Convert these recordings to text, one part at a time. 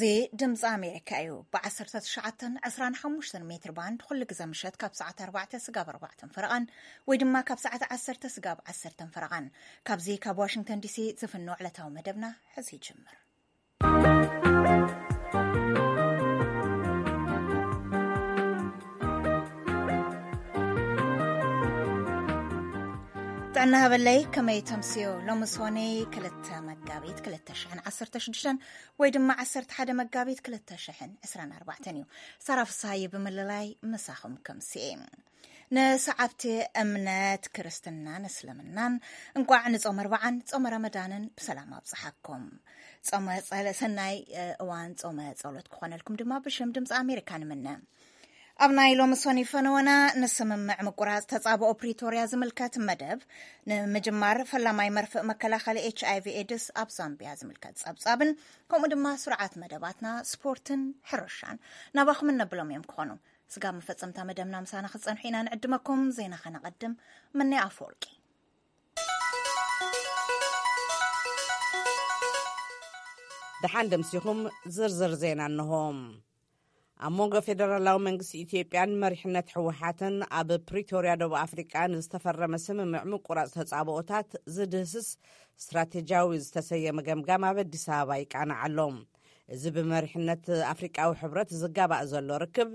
እዚ ድምፂ ኣሜሪካ እዩ። ብ19 25 ሜትር ባንድ ኩሉ ግዜ ምሸት ካብ ሰዓት ኣርባዕተ ስጋብ ኣርባዕተን ፈረቓን ወይ ድማ ካብ ሰዓት ዓሰርተ ስጋብ ዓሰርተን ፈረቓን። ካብዚ ካብ ዋሽንግተን ዲሲ ዝፍኖ ዕለታዊ መደብና ሕዚ ይጅምር። ጥዕና ሃበለይ፣ ከመይ ተምስዮ? ሎሚ ሶኒ ክልተ መጋቢት ክልተ ሽሕን ዓሰርተ ሽዱሽተን ወይ ድማ ዓሰርተ ሓደ መጋቢት ክልተ ሽሕን ዕስራን ኣርባዕተን እዩ። ሳራ ፍስሃየ ብምልላይ ምሳኹም ከምስኤ። ንሰዓብቲ እምነት ክርስትናን እስልምናን እንቋዕ ንጾም ኣርባዓን ጾመ ረመዳንን ብሰላም ኣብጽሓኩም። ጾመ ጸለ-፣ ሰናይ፣ እ፣ እዋን ጾመ ጸሎት ክኾነልኩም ድማ ብሽም ድምፂ ኣሜሪካ ንምነ። ኣብ ናይ ሎሚ ሶኒ ፈነወና ንስምምዕ ምቁራጽ ተጻብኦ ፕሪቶርያ ዝምልከት መደብ፣ ንምጅማር ፈላማይ መርፍእ መከላኸሊ ኤች ኣይ ቪ ኤድስ ኣብ ዛምቢያ ዝምልከት ጸብጻብን ከምኡ ድማ ስርዓት መደባትና ስፖርትን ሕርሻን ናባኹም እነብሎም እዮም ክኾኑ። ስጋብ መፈጸምታ መደብና ምሳና ክትጸንሑ ኢና ንዕድመኩም። ዜና ከነቐድም። ምነ ኣፈወርቂ። ደሓን ደምሲኹም። ዝርዝር ዜና እንሆ። ኣብ መንጎ ፌደራላዊ መንግስቲ ኢትዮጵያን መሪሕነት ህወሓትን ኣብ ፕሪቶርያ ደቡብ ኣፍሪቃ ንዝተፈረመ ስምምዕ ምቁራጽ ተጻብኦታት ዝድህስስ ስትራቴጂያዊ ዝተሰየመ ገምጋም ኣብ ኣዲስ ኣበባ ይቃናዕ ኣሎ። እዚ ብመሪሕነት ኣፍሪቃዊ ሕብረት ዝጋባእ ዘሎ ርክብ፣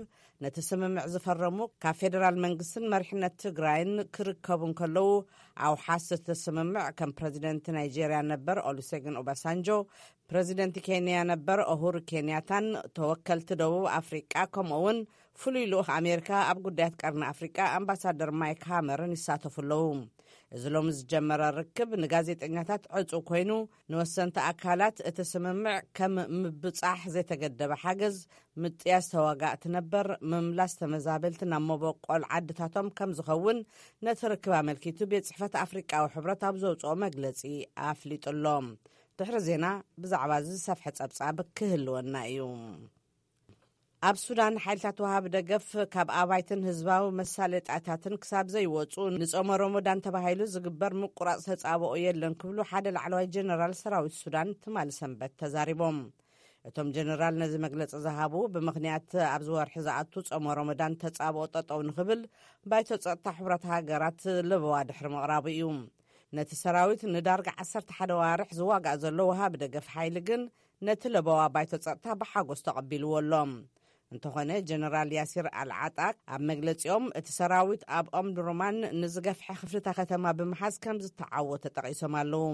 ነቲ ስምምዕ ዝፈረሙ ካብ ፌደራል መንግስትን መሪሕነት ትግራይን ክርከቡ እንከለዉ፣ ኣውሓስ እቲ ስምምዕ ከም ፕረዚደንት ናይጄርያ ነበር ኦሉሴጉን ኦባሳንጆ፣ ፕረዚደንት ኬንያ ነበር ኡሁሩ ኬንያታን ተወከልቲ ደቡብ ኣፍሪቃ፣ ከምኡ እውን ፍሉይ ልኡኽ ኣሜሪካ ኣብ ጉዳያት ቀርኒ ኣፍሪቃ ኣምባሳደር ማይክ ሃመርን ይሳተፉ ኣለዉ። እዚ ሎሚ ዝጀመረ ርክብ ንጋዜጠኛታት ዕጹው ኮይኑ፣ ንወሰንቲ ኣካላት እቲ ስምምዕ ከም ምብጻሕ ዘይተገደበ ሓገዝ፣ ምጥያስ ተዋጋእቲ ነበር፣ ምምላስ ተመዛበልቲ ናብ መበቆል ዓድታቶም ከም ዝኸውን ነቲ ርክብ ኣመልኪቱ ቤት ጽሕፈት ኣፍሪቃዊ ሕብረት ኣብ ዘውጽኦ መግለጺ ኣፍሊጡ ኣሎ። ድሕሪ ዜና ብዛዕባ እዚ ዝሰፍሐ ጸብጻብ ክህልወና እዩ። ኣብ ሱዳን ሓይልታት ወሃቢ ደገፍ ካብ ኣባይትን ህዝባዊ መሳለጣታትን ክሳብ ዘይወጹ ንጾመ ሮሞዳን ተባሂሉ ዝግበር ምቁራጽ ተጻብኦ የለን ክብሉ ሓደ ላዕለዋይ ጀነራል ሰራዊት ሱዳን ትማሊ ሰንበት ተዛሪቦም። እቶም ጀነራል ነዚ መግለጺ ዝሃቡ ብምኽንያት ኣብዚ ወርሒ ዝኣቱ ጾመ ሮሞዳን ተጻብኦ ጠጠው ንኽብል ባይቶ ጸጥታ ሕቡራት ሃገራት ለበዋ ድሕሪ ምቕራቡ እዩ። ነቲ ሰራዊት ንዳርጋ ዓሰርተ ሓደ ዋርሕ ዝዋጋእ ዘሎ ወሃቢ ደገፍ ሓይሊ ግን ነቲ ለበዋ ባይቶ ጸጥታ ብሓጎስ ተቐቢልዎ ኣሎ። እንተኾነ ጀነራል ያሲር ኣልዓጣ ኣብ መግለጺኦም እቲ ሰራዊት ኣብ ኦምዱሩማን ንዝገፍሐ ክፍልታ ከተማ ብምሓዝ ከም ዝተዓወተ ጠቒሶም ኣለዉ።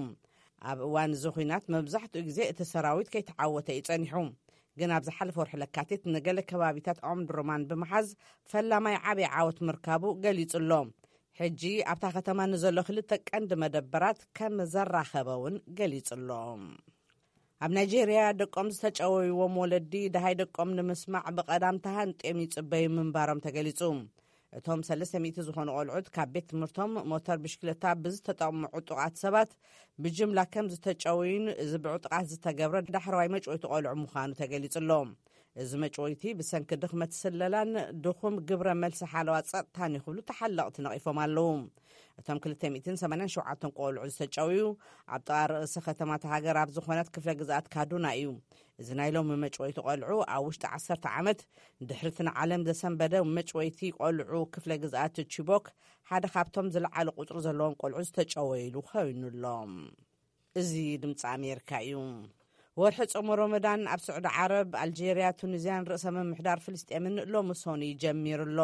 ኣብ እዋን እዚ ኹናት መብዛሕትኡ ግዜ እቲ ሰራዊት ከይተዓወተ እዩ ጸኒሑ። ግን ኣብ ዝሓለፈ ወርሒ ለካቲት ንገለ ከባቢታት ኦምዱሩማን ብምሓዝ ፈላማይ ዓብዪ ዓወት ምርካቡ ገሊጹ ኣሎ። ሕጂ ኣብታ ከተማ ንዘሎ ክልተ ቀንዲ መደበራት ከም ዘራኸበ እውን ገሊጹ ኣሎ። ኣብ ናይጄርያ ደቆም ዝተጨወይዎም ወለዲ ደሃይ ደቆም ንምስማዕ ብቐዳም ተሃንጥዮም ይጽበዩ ምንባሮም ተገሊጹ። እቶም ሰለስተ ሚእቲ ዝኾኑ ቆልዑት ካብ ቤት ትምህርቶም ሞተር ብሽክለታ ብዝተጠቕሙ ዕጡቓት ሰባት ብጅምላ ከም ዝተጨወዩን እዚ ብዕጡቓት ዝተገብረ ዳሕረዋይ መጭወይቲ ቆልዑ ምዃኑ ተገሊጹ ኣሎ። እዚ መጭወይቲ ብሰንኪ ድኽመት ስለላን ድኹም ግብረ መልሲ ሓለዋ ጸጥታን እዩ ክብሉ ተሓለቕቲ ነቒፎም ኣለዉ። እቶም ክልተ ሚእትን ሰማንያን ሸውዓተን ቆልዑ ዝተጨውዩ ኣብ ጥቓ ርእሲ ከተማ እታ ሃገር ኣብ ዝኾነት ክፍለ ግዝኣት ካዱና እዩ። እዚ ናይ ሎሚ መጭወይቲ ቆልዑ ኣብ ውሽጢ ዓሰርተ ዓመት ድሕሪ እቲ ንዓለም ዘሰንበደ መጭወይቲ ቆልዑ ክፍለ ግዝኣት ቺቦክ ሓደ ካብቶም ዝለዓለ ቁጽሪ ዘለዎም ቆልዑ ዝተጨወይሉ ኮይኑ ኣሎ። እዚ ድምፂ ኣሜሪካ እዩ። ወርሒ ጾመ ሮመዳን ኣብ ስዑዲ ዓረብ፣ ኣልጄርያ፣ ቱኒዝያን ርእሰ ምምሕዳር ፍልስጤምን ሎሚ ሶኒ ጀሚሩ ኣሎ።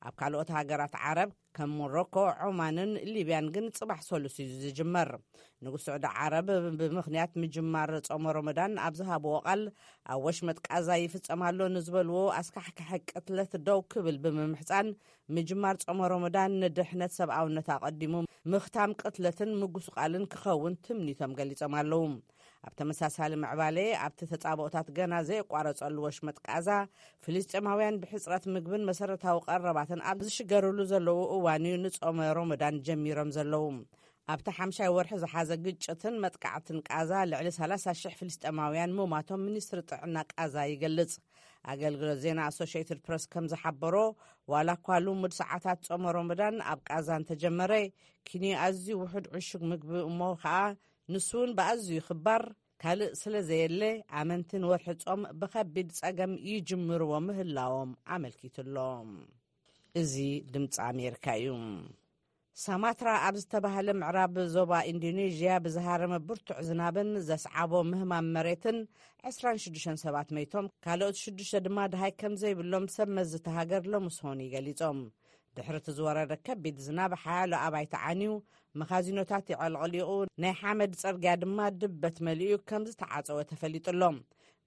ኣብ ካልኦት ሃገራት ዓረብ ከም ሞሮኮ፣ ዖማንን ሊብያን ግን ጽባሕ ሰሉስ እዩ ዝጅመር። ንጉስ ስዑዲ ዓረብ ብምኽንያት ምጅማር ጾመ ሮመዳን ኣብ ዝሃብዎ ቃል፣ ኣብ ወሽመጥ ቃዛ ይፍጸም ኣሎ ንዝበልዎ ኣስካሕካሒ ቅትለት ደው ክብል ብምምሕጻን፣ ምጅማር ጾመ ሮመዳን ንድሕነት ሰብኣውነት ኣቐዲሙ ምኽታም ቅትለትን ምጉስቓልን ክኸውን ትምኒቶም ገሊጾም ኣለዉ። ኣብ ተመሳሳሊ ምዕባለ፣ ኣብቲ ተጻብኦታት ገና ዘየቋረጸሉ ወሽመጥ ቃዛ፣ ፍልስጤማውያን ብሕጽረት ምግብን መሰረታዊ ቀረባትን ኣብ ዝሽገርሉ ዘለዉ እዋን እዩ ንጾመ ሮመዳን ጀሚሮም ዘለዉ። ኣብቲ ሓምሻይ ወርሒ ዝሓዘ ግጭትን መጥቃዕትን ቃዛ፣ ልዕሊ ሰላሳ ሽሕ ፍልስጤማውያን ምሟቶም ሚኒስትሪ ጥዕና ቃዛ ይገልጽ። ኣገልግሎት ዜና ኣሶሽየትድ ፕረስ ከም ዝሓበሮ፣ ዋላ እኳ ልሙድ ሰዓታት ጾመ ሮመዳን ኣብ ቃዛ እንተጀመረ፣ ኪንዮ ኣዝዩ ውሑድ ዕሹግ ምግቢ እሞ ኸኣ ንሱ እውን ብኣዝዩ ክባር ካልእ ስለ ዘየለ፣ ኣመንቲ ንወርሒ ጾም ብኸቢድ ጸገም ይጅምርዎ ምህላዎም ኣመልኪቱ ኣሎ። እዚ ድምፂ ኣሜሪካ እዩ። ሳማትራ ኣብ ዝተባህለ ምዕራብ ዞባ ኢንዶኔዥያ ብዝሃረመ ብርቱዕ ዝናብን ዘስዓቦ ምህማም መሬትን ዕስራን ሽዱሽተን ሰባት መይቶም፣ ካልኦት ሽዱሽተ ድማ ድሃይ ከም ዘይብሎም ሰብ መዚ እታ ሃገር ሎምስ ሆኒ ገሊጾም። ድሕሪ እቲ ዝወረደ ከቢድ ዝናብ ሓያሎ ኣባይቲ ዓንዩ፣ መኻዚኖታት የዕለቕሊቑ፣ ናይ ሓመድ ጽርግያ ድማ ድበት መሊኡ ከም ዝተዓጸወ ተፈሊጡ ኣሎ።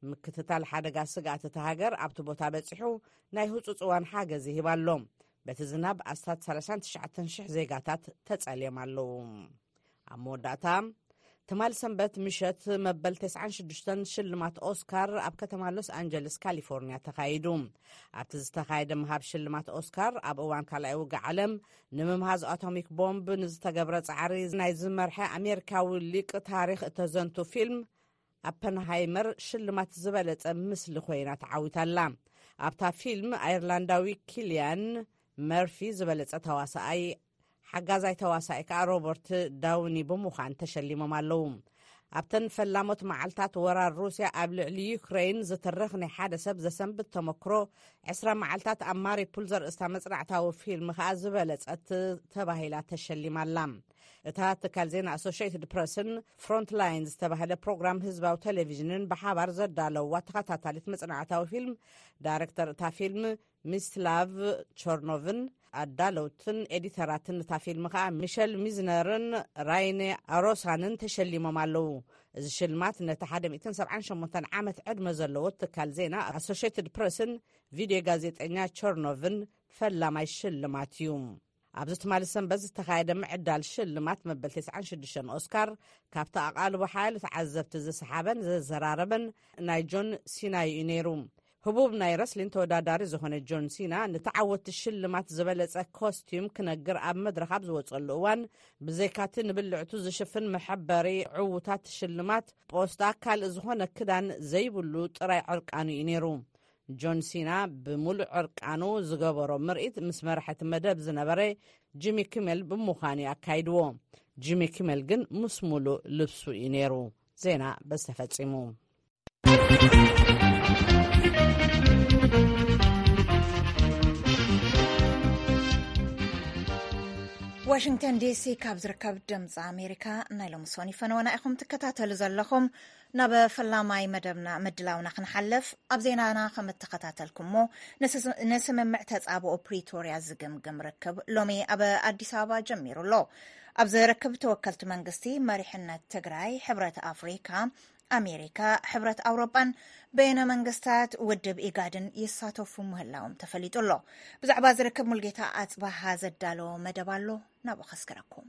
ምክትታል ሓደጋ ስግኣት እታ ሃገር ኣብቲ ቦታ በጺሑ ናይ ህጹጽ እዋን ሓገዝ ይህብ ኣሎ። በቲ ዝናብ ኣስታት ሰላሳን ትሽዓተን ሽሕ ዜጋታት ተጸልዮም ኣለዉ። ኣብ መወዳእታ፣ ትማል ሰንበት ምሸት መበል ተስዓን ሽዱሽተን ሽልማት ኦስካር ኣብ ከተማ ሎስ ኣንጀለስ ካሊፎርኒያ ተኻይዱ። ኣብቲ ዝተኻየደ ምሃብ ሽልማት ኦስካር፣ ኣብ እዋን ካልኣይ ውግእ ዓለም ንምምሃዝ ኣቶሚክ ቦምብ ንዝተገብረ ጻዕሪ ናይ ዝመርሐ ኣሜሪካዊ ሊቅ ታሪኽ እተዘንቱ ፊልም ኣፐንሃይመር ሽልማት ዝበለጸ ምስሊ ኮይና ተዓዊታላ። ኣብታ ፊልም፣ ኣየርላንዳዊ ኪልያን መርፊ ዝበለጸ ተዋሳኣይ፣ ሓጋዛይ ተዋሳኣይ ከኣ ሮበርት ዳውኒ ብምዃን ተሸሊሞም ኣለዉ። ኣብተን ፈላሞት መዓልታት ወራር ሩስያ ኣብ ልዕሊ ዩክሬን ዝትርኽ ናይ ሓደ ሰብ ዘሰንብት ተመክሮ፣ ዕስራ መዓልታት ኣብ ማሪፑል ዘርእስታ መጽናዕታዊ ፊልም ከኣ ዝበለጸት ተባሂላ ተሸሊማ ኣላ። እታ ትካል ዜና ኣሶሽየትድ ፕረስን ፍሮንትላይን ዝተባህለ ፕሮግራም ህዝባዊ ቴሌቪዥንን ብሓባር ዘዳለውዋ ተኸታታሊት መጽናዕታዊ ፊልም፣ ዳይሬክተር እታ ፊልም ሚስላቭ ቸርኖቭን ኣዳለውትን ኤዲተራትን እታ ፊልም ከኣ ሚሸል ሚዝነርን ራይኔ ኣሮሳንን ተሸሊሞም ኣለዉ። እዚ ሽልማት ነቲ ሓደ ሚእትን ሰብዓን ሸሞንተን ዓመት ዕድመ ዘለዎ ትካል ዜና ኣሶሽየትድ ፕረስን ቪድዮ ጋዜጠኛ ቸርኖቭን ፈላማይ ሽልማት እዩ። ኣብዚ ትማሊ ሰንበት ዝተኻየደ ምዕዳል ሽልማት መበል ተስዓን ሽዱሽተን ኦስካር፣ ካብቲ ኣቓልቦ ሓያሎ ተዓዘብቲ ዝሰሓበን ዘዘራረበን ናይ ጆን ሲና እዩ ነይሩ። ህቡብ ናይ ረስሊን ተወዳዳሪ ዝኾነ ጆን ሲና፣ ንተዓወትቲ ሽልማት ዝበለጸ ኮስቲዩም ክነግር ኣብ መድረኽ ኣብ ዝወጸሉ እዋን፣ ብዘይካቲ ንብልዕቱ ዝሽፍን መሐበሪ ዕዉታት ሽልማት ፖስታ፣ ካልእ ዝኾነ ክዳን ዘይብሉ ጥራይ ዕርቃኑ እዩ ነይሩ። ጆን ሲና ብምሉእ ዕርቃኑ ዝገበሮ ምርኢት ምስ መራሕቲ መደብ ዝነበረ ጂሚ ኪመል ብምዃኑ እዩ ኣካይድዎ። ጂሚ ኪመል ግን ምስ ሙሉእ ልብሱ እዩ ነይሩ። ዜና በዚ ተፈጺሙ። ዋሽንግተን ዲሲ ካብ ዝርከብ ድምፂ ኣሜሪካ ናይ ሎሚ ሶኒ ፈነወና ኢኹም ትከታተሉ ዘለኹም። ናብ ፈላማይ መደብና ምድላውና ክንሓልፍ፣ ኣብ ዜናና ከም እተኸታተልኩሞ፣ ንስ-፣ ንስምምዕ ተጻብኦ ፕሪቶርያ ዝግምግም ርክብ ሎሚ ኣብ ኣዲስ ኣበባ ጀሚሩ ኣሎ። ኣብዚ ርክብ ተወከልቲ መንግስቲ፣ መሪሕነት ትግራይ፣ ሕብረት ኣፍሪካ፣ ኣሜሪካ፣ ሕብረት ኣውሮጳን በይነ መንግስታት ውድብ ኢጋድን ይሳተፉ ምህላዎም ተፈሊጡ ኣሎ። ብዛዕባ ዝርክብ ሙልጌታ ኣጽባሃ ዘዳለዎ መደብ ኣሎ፣ ናብኡ ከስግረኩም።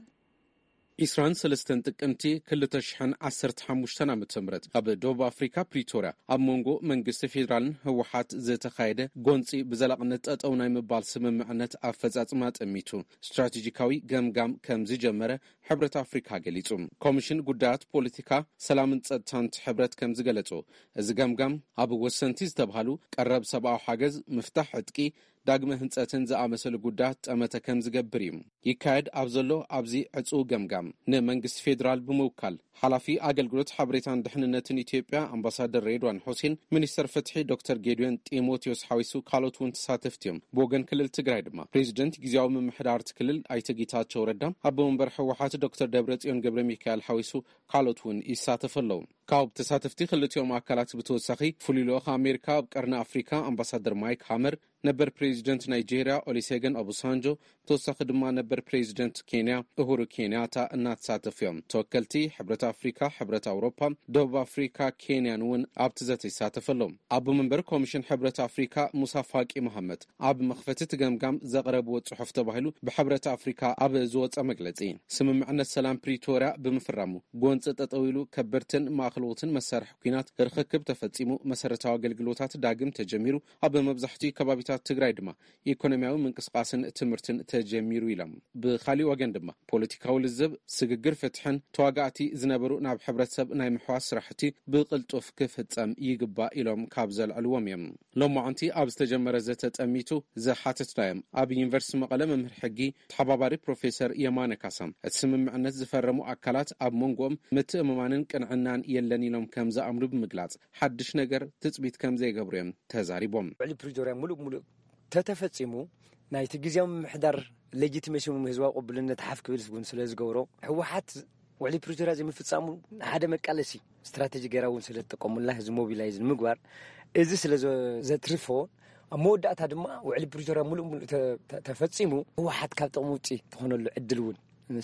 ዒስራን ሰለስተን ጥቅምቲ ክልተ ሽሕን ዓሰርተ ሓሙሽተን ዓመተ ምህረት ኣብ ደቡብ ኣፍሪካ ፕሪቶርያ ኣብ መንጎ መንግስቲ ፌዴራልን ህወሓት ዝተኻየደ ጎንፂ ብዘላቕነት ጠጠው ናይ ምባል ስምምዕነት ኣፈፃፅማ ጠሚቱ ስትራቴጂካዊ ገምጋም ከም ዝጀመረ ሕብረት ኣፍሪካ ገሊጹ። ኮሚሽን ጉዳያት ፖለቲካ፣ ሰላምን ጸጥታን እቲ ሕብረት ከም ዝገለጾ፣ እዚ ገምጋም ኣብ ወሰንቲ ዝተባህሉ ቀረብ ሰብኣዊ ሓገዝ፣ ምፍታሕ ዕጥቂ፣ ዳግመ ህንጸትን ዝኣመሰሉ ጉዳያት ጠመተ ከም ዝገብር እዩ። ይካየድ ኣብ ዘሎ ኣብዚ ዕጹው ገምጋም፣ ንመንግስቲ ፌዴራል ብምውካል፣ ሓላፊ ኣገልግሎት ሓበሬታን ድሕንነትን ኢትዮጵያ ኣምባሳደር ሬድዋን ሑሴን፣ ሚኒስተር ፍትሒ ዶክተር ጌዲዮን ጢሞቴዎስ ሓዊሱ ካልኦት እውን ተሳተፍቲ እዮም። ብወገን ክልል ትግራይ ድማ፣ ፕሬዚደንት ግዝያዊ ምምሕዳር እቲ ክልል ኣይተ ጌታቸው ረዳ፣ ኣቦ መንበር ህወሓት ዶክተር ደብረጽዮን ገብረ ሚካኤል ሓዊሱ ካልኦት እውን ይሳተፉ ኣለዉ። ካብ ተሳተፍቲ ክልቲኦም ኣካላት ብተወሳኺ፣ ፍሉይ ልኡኽ ኣሜሪካ ኣብ ቀርኒ ኣፍሪካ ኣምባሳደር ማይክ ሃመር፣ ነበር ፕሬዚደንት ናይጄርያ ኦሊሴገን ኦባሳንጆ፣ ብተወሳኺ ድማ ነበር ፕሬዚደንት ኬንያ ኡሁሩ ኬንያታ እናተሳተፉ እዮም። ተወከልቲ ሕብረት ኣፍሪካ፣ ሕብረት ኣውሮፓ፣ ደቡብ ኣፍሪካ፣ ኬንያን እውን ኣብቲ ዘተ ይሳተፉ ኣለዉ። ኣቦ መንበር ኮሚሽን ሕብረት ኣፍሪካ ሙሳ ፋቂ መሃመት ኣብ መኽፈቲ እቲ ገምጋም ዘቕረብዎ ጽሑፍ ተባሂሉ ብሕብረት ኣፍሪካ ኣብ ዝወጸ መግለጺ፣ ስምምዕነት ሰላም ፕሪቶርያ ብምፍራሙ ጎንፂ ጠጠው ኢሉ ከበድትን ማእኸለዎትን መሳርሒ ኲናት ርኽክብ ተፈጺሙ፣ መሰረታዊ ኣገልግሎታት ዳግም ተጀሚሩ፣ ኣብ መብዛሕትኡ ከባቢታት ከተማታት ትግራይ ድማ ኢኮኖሚያዊ ምንቅስቃስን ትምህርትን ተጀሚሩ ኢሎም። ብካሊእ ወገን ድማ ፖለቲካዊ ልዝብ፣ ስግግር ፍትሕን ተዋጋእቲ ዝነበሩ ናብ ሕብረተሰብ ናይ ምሕዋስ ስራሕቲ ብቅልጡፍ ክፍጸም ይግባእ ኢሎም ካብ ዘልዕልዎም እዮም። ሎማዓንቲ ኣብ ዝተጀመረ ዘተ ጠሚቱ ዝሓተትናዮም ኣብ ዩኒቨርሲቲ መቐለ መምህር ሕጊ ተሓባባሪ ፕሮፌሰር የማነ ካሳ፣ እቲ ስምምዕነት ዝፈረሙ ኣካላት ኣብ መንጎኦም ምትእምማንን ቅንዕናን የለን ኢሎም ከም ዝኣምኑ ብምግላጽ፣ ሓድሽ ነገር ትጽቢት ከም ዘይገብሩ እዮም ተዛሪቦም። ውዕሊ ፕሪቶርያ ሙሉእ ብሙሉእ ተተፈጺሙ፣ ናይቲ ግዜያዊ ምምሕዳር ሌጂቲሜሲ፣ ህዝባዊ ቅቡልነት ሓፍ ክብል እውን ስለ ዝገብሮ፣ ህወሓት ውዕሊ ፕሪቶርያ ዘይምፍጻሙ ሓደ መቃለሲ ስትራቴጂ ገይራ እውን ስለ ዝጥቀሙላ፣ ህዝቢ ሞቢላይዝ ንምግባር፣ እዚ ስለ ዘ-፣ ዘትርፎ፣ ኣብ መወዳእታ ድማ ውዕሊ ፕሪቶርያ ሙሉእ ሙሉእ ተ-፣ ተ-፣ ተፈጺሙ፣ ህወሓት ካብ ጥቕሚ ውጪ ትኾነሉ ዕድል እውን፣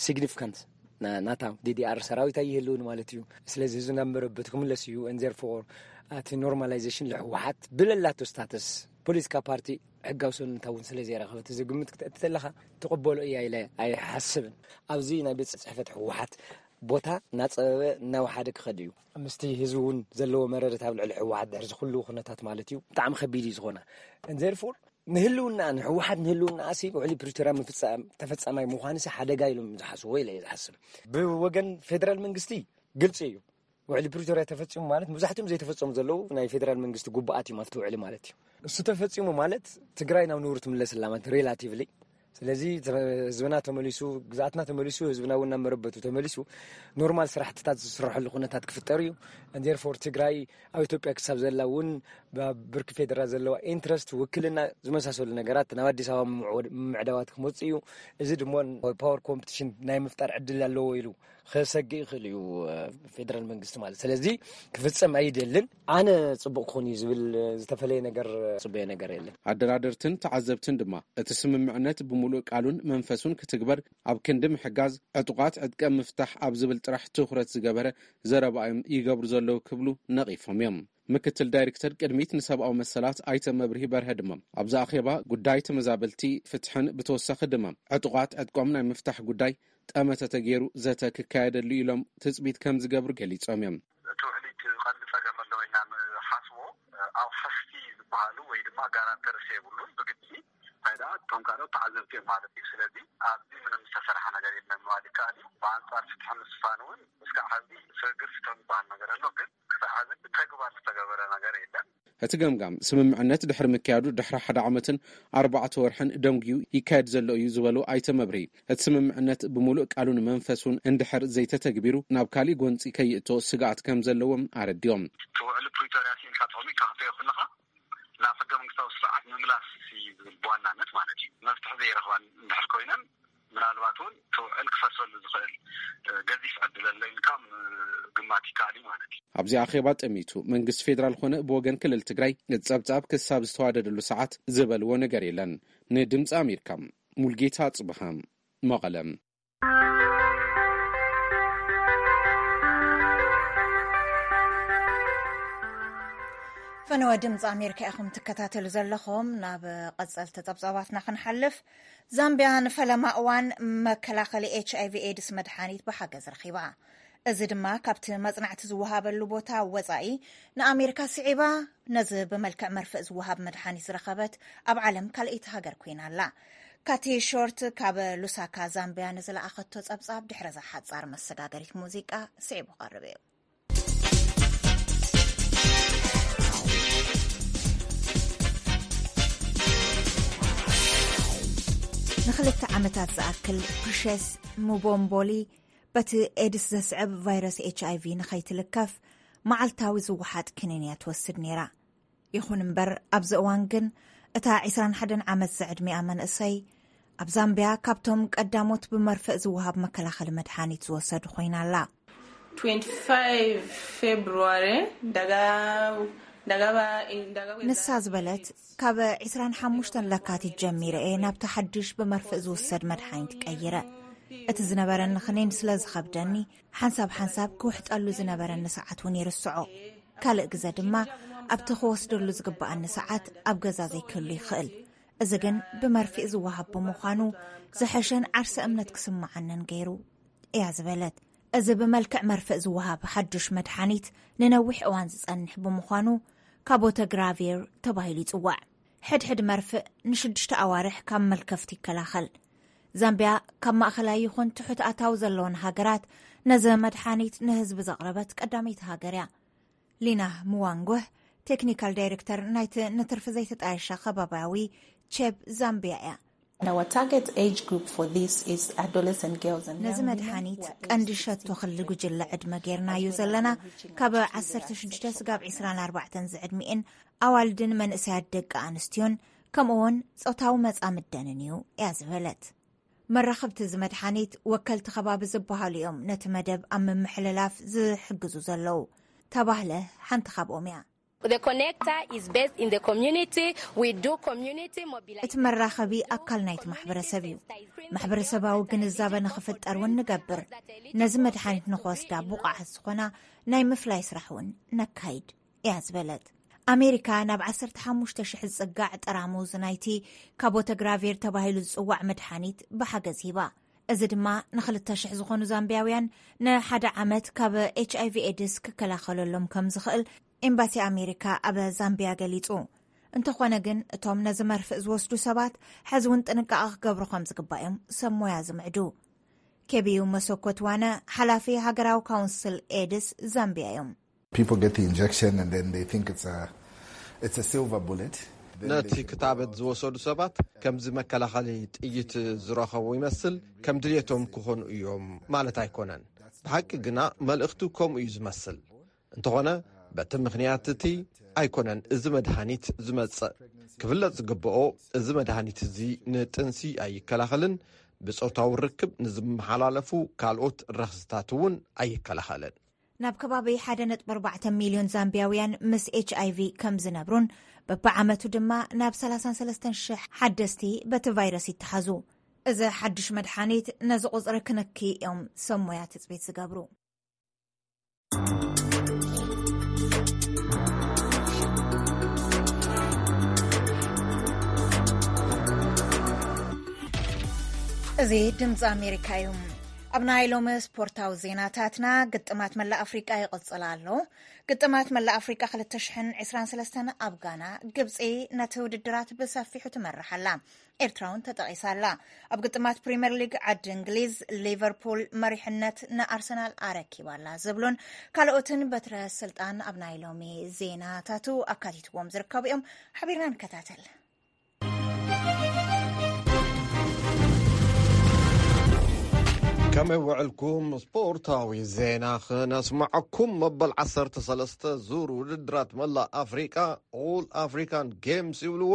ሲግኒፊካንስ፣ ና-፣ ናታ ዲዲኣር ሰራዊት ኣይህልውን ማለት እዩ። ስለዚ ህዝቢ ናብ መረበቱ ክምለስ እዩ። And therefore፣ እቲ ኖርማላይዜሽን ለህወሓት ብለላቶ ስታተስ ፖለቲካ ፓርቲ ሕጋዊ ሰውነታ እውን ስለ ዘይረኸበት፣ እዚ ግምት ክትእቲ ተለኻ ትቕበሎ እያ ኢለ ኣይሓስብን። ኣብዚ ናይ ቤት ጽሕፈት ህወሓት ቦታ እናጸበበ እናወሓደ ክኸድ እዩ። ምስቲ ህዝቢ እውን ዘለዎ መረረት ኣብ ልዕሊ ህወሓት ድሕሪ እዚ ኩሉ ኩነታት ማለት እዩ፣ ብጣዕሚ ከቢድ እዩ ዝኾና። And therefore፣ ንህልውና፣ ንህወሓት ንህልውና ኣሲ ውዕሊ ፕሪቶርያ ምፍጻም ተፈጻማይ ምዃንሲ ሓደጋ ኢሎም ዝሓስብዎ ኢለ እየ ዝሓስብ። ብወገን ፌደራል መንግስቲ ግልጺ እዩ። ውዕሊ ፕሪቶርያ ተፈጺሙ ማለት፣ መብዛሕትኦም ዘይተፈጸሙ ዘለዉ ናይ ፌደራል መንግስቲ ጉባኣት እዮም ኣብቲ ውዕሊ ማለት እዩ። እሱ ተፈጺሙ ማለት ትግራይ ናብ ንቡር ትምለስ ኣላ ማለት ሪላቲቭሊ። ስለዚ ተ-፣ ህዝብና ተመሊሱ፣ ግዝኣትና ተመሊሱ፣ ህዝብና እውን ናብ መረበቱ ተመሊሱ፣ ኖርማል ስራሕትታት ዝስረሐሉ ኩነታት ክፍጠር እዩ። And therefore ትግራይ ኣብ ኢትዮጵያ ክሳብ ዘላ እውን፣ ብ-፣ ብርኪ ፌደራል ዘለዋ ኢንትረስት፣ ውክልና ዝመሳሰሉ ነገራት ናብ ኣዲስ ኣበባ ምምዕወድ-፣ ምምዕዳዋት ክመጽእ እዩ። እዚ ድማ ፓወር ኮምፒቲሽን ናይ ምፍጣር ዕድል ኣለዎ ኢሉ ክሰግእ ይኽእል እዩ፣ እ፣ ፌደራል መንግስቲ ማለት። ስለዚ ክፍጸም ኣይደልን። ኣነ ጽቡቕ ክኾን እዩ ዝብል፣ እ፣ ዝተፈለየ ነገር፣ እ፣ ጽበዮ ነገር የለን። ኣደራደርትን ተዓዘብትን ድማ እቲ ስምምዕነት ብምሉእ ቃሉን መንፈሱን ክትግበር ኣብ ክንዲ ምሕጋዝ፣ ዕጡቓት ዕጥቀ ምፍታሕ ኣብ ዝብል ጥራሕ ትኹረት ዝገበረ ዘረባ እዮም ይገብሩ ዘለዉ ክብሉ ነቒፎም እዮም። ምክትል ዳይሬክተር ቅድሚት ንሰብኣዊ መሰላት ኣይተ መብርሂ በርሀ ድማ፣ ኣብዚ ኣኼባ ጉዳይ ተመዛበልቲ ፍትሕን ብተወሳኺ ድማ ዕጡቓት ዕጥቆም ናይ ምፍታሕ ጉዳይ ጠመተ ተገይሩ ዘተ ክካየደሉ ኢሎም ትጽቢት ከም ዝገብሩ ገሊጾም እዮም። እቲ ውዕሊ እቲ ቀንዲ ጸገም ኣለዎ ኢልና ንሓስቦ፣ ኣውሓስቲ ዝበሃሉ ወይ ድማ ጋራንተርስ የብሉን። ብግዲ እንታይ ደኣ እቶም ካልኦት ተዓዘብቲ እዮም ማለት እዩ። ስለዚ ኣብዚ ምንም ዝተሰርሐ ነገር የለን ምባል ይከኣል እዩ። ብኣንጻር ፍትሒ ምስፋን እውን እስካዕ ሕዚ ስግግር ፍትሒ ዝበሃል ነገር ኣሎ፣ ግን ክሳዕ ሕዚ ብተግባር ዝተገበረ ነገር የለን። እቲ ገምጋም፣ ስምምዕነት ድሕሪ ምክያዱ ድሕሪ ሓደ ዓመትን ኣርባዕተ ወርሕን ደንጉዩ ይካየድ ዘሎ እዩ ዝበሉ ኣይተ መብርሂ፣ እቲ ስምምዕነት ብምሉእ ቃሉን መንፈሱን እንድሕር ዘይተተግቢሩ ናብ ካሊእ ጎንፂ ከይእቶ ስግኣት ከም ዘለዎም ኣረዲኦም። እቲ ውዕሊ ፕሪቶርያ ስኢንካ ተቐሚጥካ ክትሪኦ ከለኻ ናብ ሕገ መንግስታዊ ስርዓት ምምላስ እዩ ዝብል ብዋናነት ማለት እዩ። መፍትሒ ዘይረኽባን እንድሕር ኮይነን ምናልባት እውን እቲ ውዕል ክፈርሰሉ ዝኽእል፣ እ፣ ገዚፍ ዕድል ኣሎ ኢልካ ምግማት ይከኣል እዩ ማለት እዩ። ኣብዚ ኣኼባ ጠሚቱ መንግስቲ ፌደራል ኮነ ብወገን ክልል ትግራይ እቲ ጸብጻብ ክሳብ ዝተዋደደሉ ሰዓት ዝበልዎ ነገር የለን። ንድምፂ ኣሜሪካ ሙልጌታ ጽብሃ መቐለ። ፈነወ ድምፂ ኣሜሪካ ኢኹም ትከታተሉ ዘለኹም። ናብ ቀጸልቲ ጸብጻባትና ክንሓልፍ፣ ዛምቢያ ንፈለማ እዋን መከላኸሊ ኤች ኣይ ቪ ኤድስ መድሓኒት ብሓገዝ ረኺባ። እዚ ድማ ካብቲ መጽናዕቲ ዝወሃበሉ ቦታ ወጻኢ ንኣሜሪካ ስዒባ፣ ነዚ ብመልክዕ መርፍእ ዝወሃብ መድሓኒት ዝረኸበት ኣብ ዓለም ካልኣይቲ ሃገር ኮይና ኣላ። ካቲ ሾርት ካብ ሉሳካ ዛምቢያ ንዝለኣኸቶ ጸብጻብ ድሕሪ እዛ ሓጻር መሰጋገሪት ሙዚቃ ስዒቡ ክቐርብ እዩ። ንኽልተ ዓመታት ዝኣክል ፕሪሸስ ሙቦምቦሊ በቲ ኤድስ ዘስዕብ ቫይረስ ኤች ኣይ ቪ ንኸይትልከፍ መዓልታዊ ዝወሓጥ ክኒን እያ ትወስድ ነይራ። ይኹን እምበር፣ ኣብዚ እዋን ግን እታ ዕስራን ሓደን ዓመት ዝዕድሚኣ መንእሰይ ኣብ ዛምቢያ ካብቶም ቀዳሞት ብመርፍእ ዝወሃብ መከላኸሊ መድሓኒት ዝወሰዱ ኮይና ኣላ። twenty-five February, daga-, dagaba, in dagaba ንሳ ዝበለት፣ ካብ ዕስራን ሓሙሽተን ለካቲት ጀሚረ እየ ናብቲ ሓድሽ ብመርፍእ ዝውሰድ መድሓኒት ቀይረ። እቲ ዝነበረኒ ክኒን ስለ ዝኸብደኒ፣ ሓንሳብ ሓንሳብ ክውሕጠሉ ዝነበረኒ ሰዓት እውን ይርስዖ። ካልእ ግዘ ድማ ኣብቲ ክወስደሉ ዝግብኣኒ ሰዓት ኣብ ገዛ ዘይክህሉ ይኽእል። እዚ ግን ብመርፍእ ዝወሃብ ብምዃኑ ዝሐሸን ዓርሰ እምነት ክስምዓንን ገይሩ እያ ዝበለት። እዚ ብመልክዕ መርፍእ ዝወሃብ ሓዱሽ መድሓኒት ንነዊሕ እዋን ዝጸንሕ ብምዃኑ ካቦተግራቪር ተባሂሉ ይጽዋዕ። ሕድሕድ መርፍእ ንሽዱሽተ ኣዋርሕ ካብ መልከፍቲ ይከላኸል። ዛምቢያ ካብ ማእኸላይ ይኹን ትሑት ኣታዊ ዘለወን ሃገራት ነዚ መድሓኒት ንህዝቢ ዘቕረበት ቀዳመይቲ ሃገር እያ። ሊና ምዋንጎህ ቴክኒካል ዳይሬክተር ናይቲ ንትርፊ ዘይተጣየሸ ከባቢያዊ ቼብ ዛምቢያ እያ። And our target age group for this is adolescent girls and ነዚ young women መድሓኒት who are ቀንዲ aged ሸቶ ክሊ ጉጅለ ዕድመ ጌርናዮ ዘለና ካብ ዓሰርተ ሽዱሽተ ስጋብ ዕስራን ኣርባዕተን ዝዕድሚኤን ኣዋልድን መንእሰያት ደቂ ኣንስትዮን ከምኡውን ጾታዊ መጻምደንን እዩ እያ ዝበለት። መራኸብቲ እዚ መድሓኒት ወከልቲ ከባቢ ዝበሃሉ እዮም ነቲ መደብ ኣብ ምምሕልላፍ ዝሕግዙ ዘለዉ። ተባህለ ሓንቲ ካብኦም እያ። The connector is based in the community. We do community mobilization. እቲ መራኸቢ ኣካል ናይቲ ማሕበረሰብ እዩ። ማሕበረሰባዊ ግንዛበ ንኽፍጠር እውን ንገብር። ነዚ መድሓኒት ንኽወስዳ ብቑዓት ዝኾና ናይ ምፍላይ ስራሕ እውን ነካይድ እያ ዝበለት። ኣሜሪካ ናብ ዓሰርተ ሓሙሽተ ሽሕ ዝጽጋዕ ጠራሙዝ ናይቲ ካቦተግራቬር ተባሂሉ ዝጽዋዕ መድሓኒት ብሓገዝ ሂባ። እዚ ድማ ንክልተ ሽሕ ዝኾኑ ዛምቢያውያን ንሓደ ዓመት ካብ ኤች ኣይ ቪ ኤድስ ክከላኸለሎም ከም ዝኽእል ኤምባሲ ኣሜሪካ ኣብ ዛምቢያ ገሊጹ። እንተኾነ ግን እቶም ነዚ መርፍእ ዝወስዱ ሰባት ሕዚ እውን ጥንቃቐ ክገብሩ ከም ዝግባእ እዮም ሰብ ሞያ ዝምዕዱ። ኬቢዩ መሰኮት ዋነ ሓላፊ ሃገራዊ ካውንስል ኤድስ ዛምቢያ እዮም። People get the injection and then they think it's a, it's a silver bullet. Then they ነቲ think, ክታበት "Oh, ዝወሰዱ ሰባት ከምዚ መከላኸሊ ጥይት ዝረኸቡ ይመስል፣ ከም ድልየቶም ክኾኑ እዮም" ማለት ኣይኮነን። ብሓቂ ግና መልእኽቱ ከምኡ እዩ ዝመስል። እንተኾነ በቲ ምኽንያት እቲ ኣይኮነን እዚ መድሃኒት ዝመጽእ። ክፍለጥ ዝግብኦ፣ እዚ መድሃኒት እዚ ንጥንሲ ኣይከላኸልን፣ ብጾታዊ ርክብ ንዝመሓላለፉ ካልኦት ረኽስታት እውን ኣይከላኸልን። ናብ ከባቢ ሓደ ነጥቢ ኣርባዕተ ሚልዮን ዛምቢያውያን ምስ ኤች ኣይ ቪ ከም ዝነብሩን በብዓመቱ ድማ ናብ ሰላሳን ሰለስተን ሽሕ ሓደስቲ በቲ ቫይረስ ይተሓዙ። እዚ ሓድሽ መድሓኒት ነዚ ቁጽሪ ክንኪ እዮም ሰብ ሞያ ትጽቢት ዝገብሩ። እዚ ድምፂ ኣሜሪካ እዩ። ኣብ ናይ ሎሚ ስፖርታዊ ዜናታትና፣ ግጥማት መላእ ኣፍሪቃ ይቕጽል ኣሎ። ግጥማት መላእ ኣፍሪቃ ክልተ ሽሕን ዕስራን ሰለስተን ኣብ ጋና፣ ግብፂ ነቲ ውድድራት ብሰፊሑ ትመርሕ ኣላ። ኤርትራ እውን ተጠቒሳ ኣላ። ኣብ ግጥማት ፕሪምየር ሊግ ዓዲ እንግሊዝ፣ ሊቨርፑል መሪሕነት ንኣርሰናል ኣረኪባ ኣላ ዝብሉን ካልኦትን በትረ ስልጣን ኣብ ናይ ሎሚ ዜናታቱ ኣካቲትዎም ዝርከቡ እዮም። ሓቢርና ንከታተል። ከመይ ውዕልኩም? ስፖርታዊ ዜና ክነስምዐኩም። መበል ዓሰርተ ሰለስተ ዙር ውድድራት መላእ ኣፍሪቃ፣ ኦል ኣፍሪካን ጌምስ ይብልዎ፣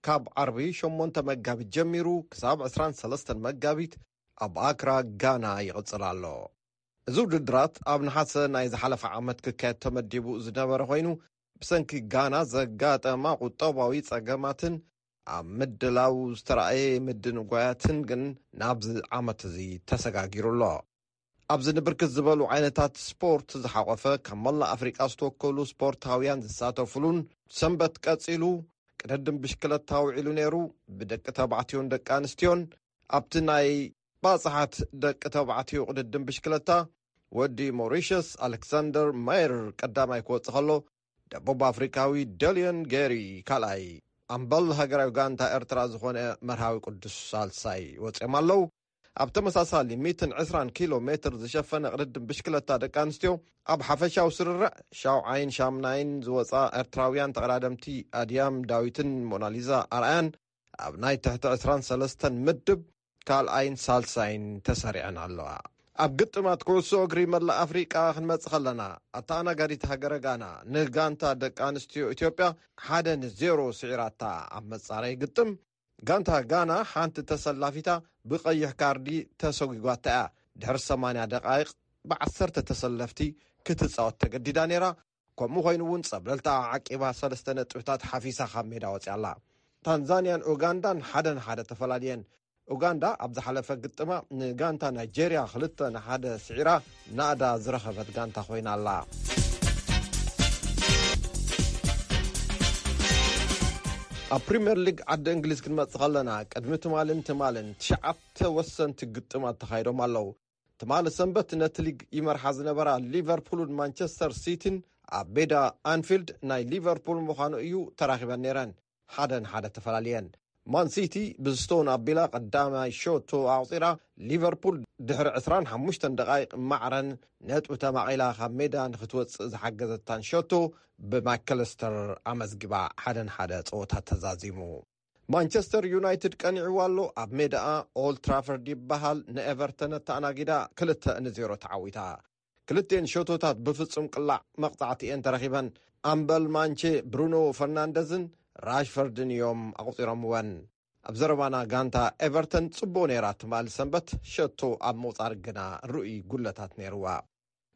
ካብ ዓርቢ ሸሞንተ መጋቢት ጀሚሩ ክሳብ ዕስራን ሰለስተን መጋቢት ኣብ ኣክራ ጋና ይቕጽል ኣሎ። እዚ ውድድራት ኣብ ነሓሰ ናይ ዝሓለፈ ዓመት ክካየድ ተመዲቡ ዝነበረ ኮይኑ፣ ብሰንኪ ጋና ዘጋጠማ ቁጠባዊ ጸገማትን ኣብ ምድላው ዝተራእየ ምድንጓያትን ግን ናብዚ ዓመት እዚ ተሰጋጊሩ ኣሎ። ኣብዚ ንብርክት ዝበሉ ዓይነታት ስፖርት ዝሓቆፈ ካብ መላእ ኣፍሪቃ ዝተወከሉ ስፖርታውያን ዝሳተፉሉን ሰንበት ቀጺሉ ቅድድም ብሽክለታ ውዒሉ ነይሩ። ብደቂ ተባዕትዮን ደቂ ኣንስትዮን ኣብቲ ናይ ባጽሓት ደቂ ተባዕትዮ ቅድድም ብሽክለታ ወዲ ሞሪሸስ ኣሌክሳንደር ማየር ቀዳማይ ክወጽእ ከሎ፣ ደቡብ ኣፍሪካዊ ደልዮን ጌሪ ካልኣይ፣ ኣምበል ሃገራዊ ጋንታ ኤርትራ ዝኾነ መርሃዊ ቅዱስ ሳልሳይ ወጺኦም ኣለዉ። ኣብ ተመሳሳሊ ሚእትን ዕስራን ኪሎ ሜትር ዝሸፈነ ቅድድም ብሽክለታ ደቂ ኣንስትዮ ኣብ ሓፈሻዊ ስርርዕ ሻውዓይን ሻምናይን ዝወጻ ኤርትራውያን ተቐዳደምቲ ኣድያም ዳዊትን ሞናሊዛ ኣርኣያን ኣብ ናይ ትሕቲ ዕስራን ሰለስተን ምድብ ካልኣይን ሳልሳይን ተሰሪዐን ኣለዋ። ኣብ ግጥማት ኩዕሶ እግሪ መላእ ኣፍሪቃ ክንመጽእ ከለና፣ ኣተኣናጋዲት ሃገረ ጋና ንጋንታ ደቂ ኣንስትዮ ኢትዮጵያ ሓደ ንዜሮ ስዒራታ። ኣብ መጻረይ ግጥም፣ ጋንታ ጋና ሓንቲ ተሰላፊታ ብቐይሕ ካርዲ ተሰጒጓታ እያ። ድሕሪ ሰማንያ ደቓይቕ ብዓሰርተ ተሰለፍቲ ክትጻወት ተገዲዳ ነይራ። ከምኡ ኮይኑ እውን ጸብለልታ ዓቂባ ሰለስተ ነጥብታት ሓፊሳ ካብ ሜዳ ወጺኣ ኣላ። ታንዛንያን ኡጋንዳን ሓደ ንሓደ ተፈላልየን። ኡጋንዳ ኣብ ዝሓለፈ ግጥማ ንጋንታ ናይጄርያ ክልተ ንሓደ ስዒራ ናእዳ ዝረኸበት ጋንታ ኮይና ኣላ። ኣብ ፕሪምየር ሊግ ዓዲ እንግሊዝ ክንመጽእ ከለና፣ ቅድሚ ትማልን ትማልን ትሽዓተ ወሰንቲ ግጥማት ተኻይዶም ኣለዉ። ትማሊ ሰንበት ነቲ ሊግ ይመርሓ ዝነበራ ሊቨርፑልን ማንቸስተር ሲቲን ኣብ ሜዳ ኣንፊልድ ናይ ሊቨርፑል ምዃኑ እዩ ተራኺበን ነይረን። ሓደ ንሓደ ተፈላልየን። ማን ሲቲ ብስቶን ኣቢላ ቀዳማይ ሸቶ ኣቑጺራ፣ ሊቨርፑል ድሕሪ ዕስራን ሓሙሽተን ደቓይቕ ማዕረን ነጥቢ ተማቒላ ካብ ሜዳ ንክትወጽእ ዝሓገዘታን ሸቶ ብማክለስተር ኣመዝጊባ፣ ሓደ ንሓደ ጸወታ ተዛዚሙ። ማንቸስተር ዩናይትድ ቀኒዕዋ ኣሎ። ኣብ ሜዳኣ ኦልድ ትራፈርድ ይበሃል፣ ንኤቨርተን ኣተኣናጊዳ ክልተ ንዜሮ ተዓዊታ። ክልቴን ሸቶታት ብፍጹም ቅላዕ መቕጻዕቲ እየን ተረኺበን። ኣምበል ማንቼ ብሩኖ ፈርናንደዝን ራሽፈርድን እዮም ኣቑጺሮምወን። ኣብ ዘረባና፣ ጋንታ ኤቨርተን ጽቡቕ ነይራ፣ ትማሊ ሰንበት ሸቶ ኣብ ምቑጻር ግና ርኡይ ጉለታት ነይርዋ።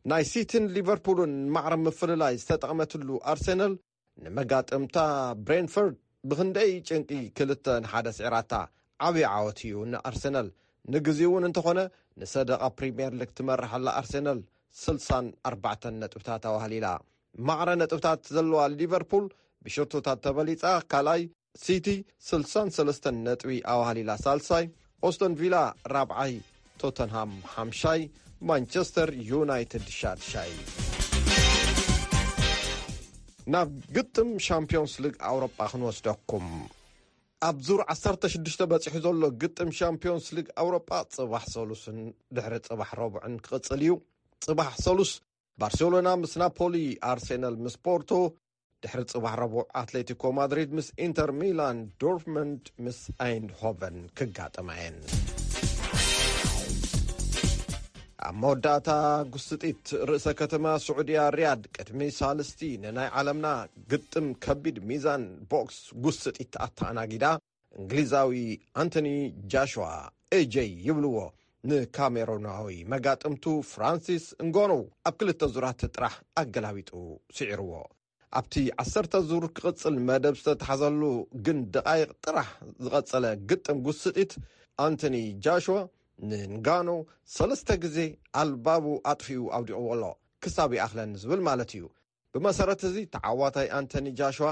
ናይ ሲቲን ሊቨርፑልን ማዕረ ምፍልላይ ዝተጠቕመትሉ ኣርሰናል፣ ንመጋጥምታ ብሬንፈርድ ብኽንደይ ጭንቂ ክልተ ንሓደ ስዒራታ። ዓብዪ ዓወት እዩ ንኣርሰናል። ንግዜኡ እውን እንተኾነ፣ ንሰደቓ ፕሪምየር ሊግ ትመርሕ ኣላ ኣርሰናል፣ ስልሳን ኣርባዕተን ነጥብታት ኣዋህሊላ። ማዕረ ነጥብታት ዘለዋ ሊቨርፑል ብሸቶታት ተበሊጻ ካልኣይ፣ ሲቲ ስልሳን ሰለስተን ነጥቢ ኣዋህሊላ ሳልሳይ፣ ኦስተን ቪላ ራብዓይ፣ ቶተንሃም ሓምሻይ፣ ማንቸስተር ዩናይትድ ሻድሻይ። ናብ ግጥም ሻምፒዮንስ ሊግ ኣውሮጳ ክንወስደኩም። ኣብ ዙር ዓሰርተ ሽዱሽተ በጺሑ ዘሎ ግጥም ሻምፒዮንስ ሊግ ኣውሮጳ ጽባሕ ሰሉስን ድሕሪ ጽባሕ ረቡዕን ክቕጽል እዩ። ጽባሕ ሰሉስ ባርሴሎና ምስ ናፖሊ፣ ኣርሴናል ምስ ፖርቶ፣ ድሕሪ ጽባሕ ረቡዕ ኣትሌቲኮ ማድሪድ ምስ ኢንተር ሚላን፣ ዶርትመንድ ምስ ኣይንድሆቨን ክጋጠማ እየን። ኣብ መወዳእታ፣ ጉስጢት ርእሰ ከተማ ስዑድያ ሪያድ ቅድሚ ሳልስቲ ንናይ ዓለምና ግጥም ከቢድ ሚዛን ቦክስ ጉስጢት ኣተኣናጊዳ፣ እንግሊዛዊ ኣንቶኒ ጃሽዋ፣ ኤጀይ ይብልዎ፣ ንካሜሮናዊ መጋጥምቱ ፍራንሲስ እንጎኖ ኣብ ክልተ ዙራት ጥራሕ ኣገላቢጡ ስዒርዎ። ኣብቲ ዓሰርተ ዙር ክቕጽል መደብ ዝተታሕዘሉ ግን ደቓይቕ ጥራሕ ዝቐጸለ ግጥም ጉስጢት፣ ኣንቶኒ ጃሽዋ ንንጋኖ ሰለስተ ግዜ ኣልባቡ ኣጥፊኡ ኣውዲቕዎ ኣሎ። ክሳብ ይኣኽለኒ ዝብል ማለት እዩ። ብመሰረት እዚ፣ ተዓዋታይ ኣንቶኒ ጃሽዋ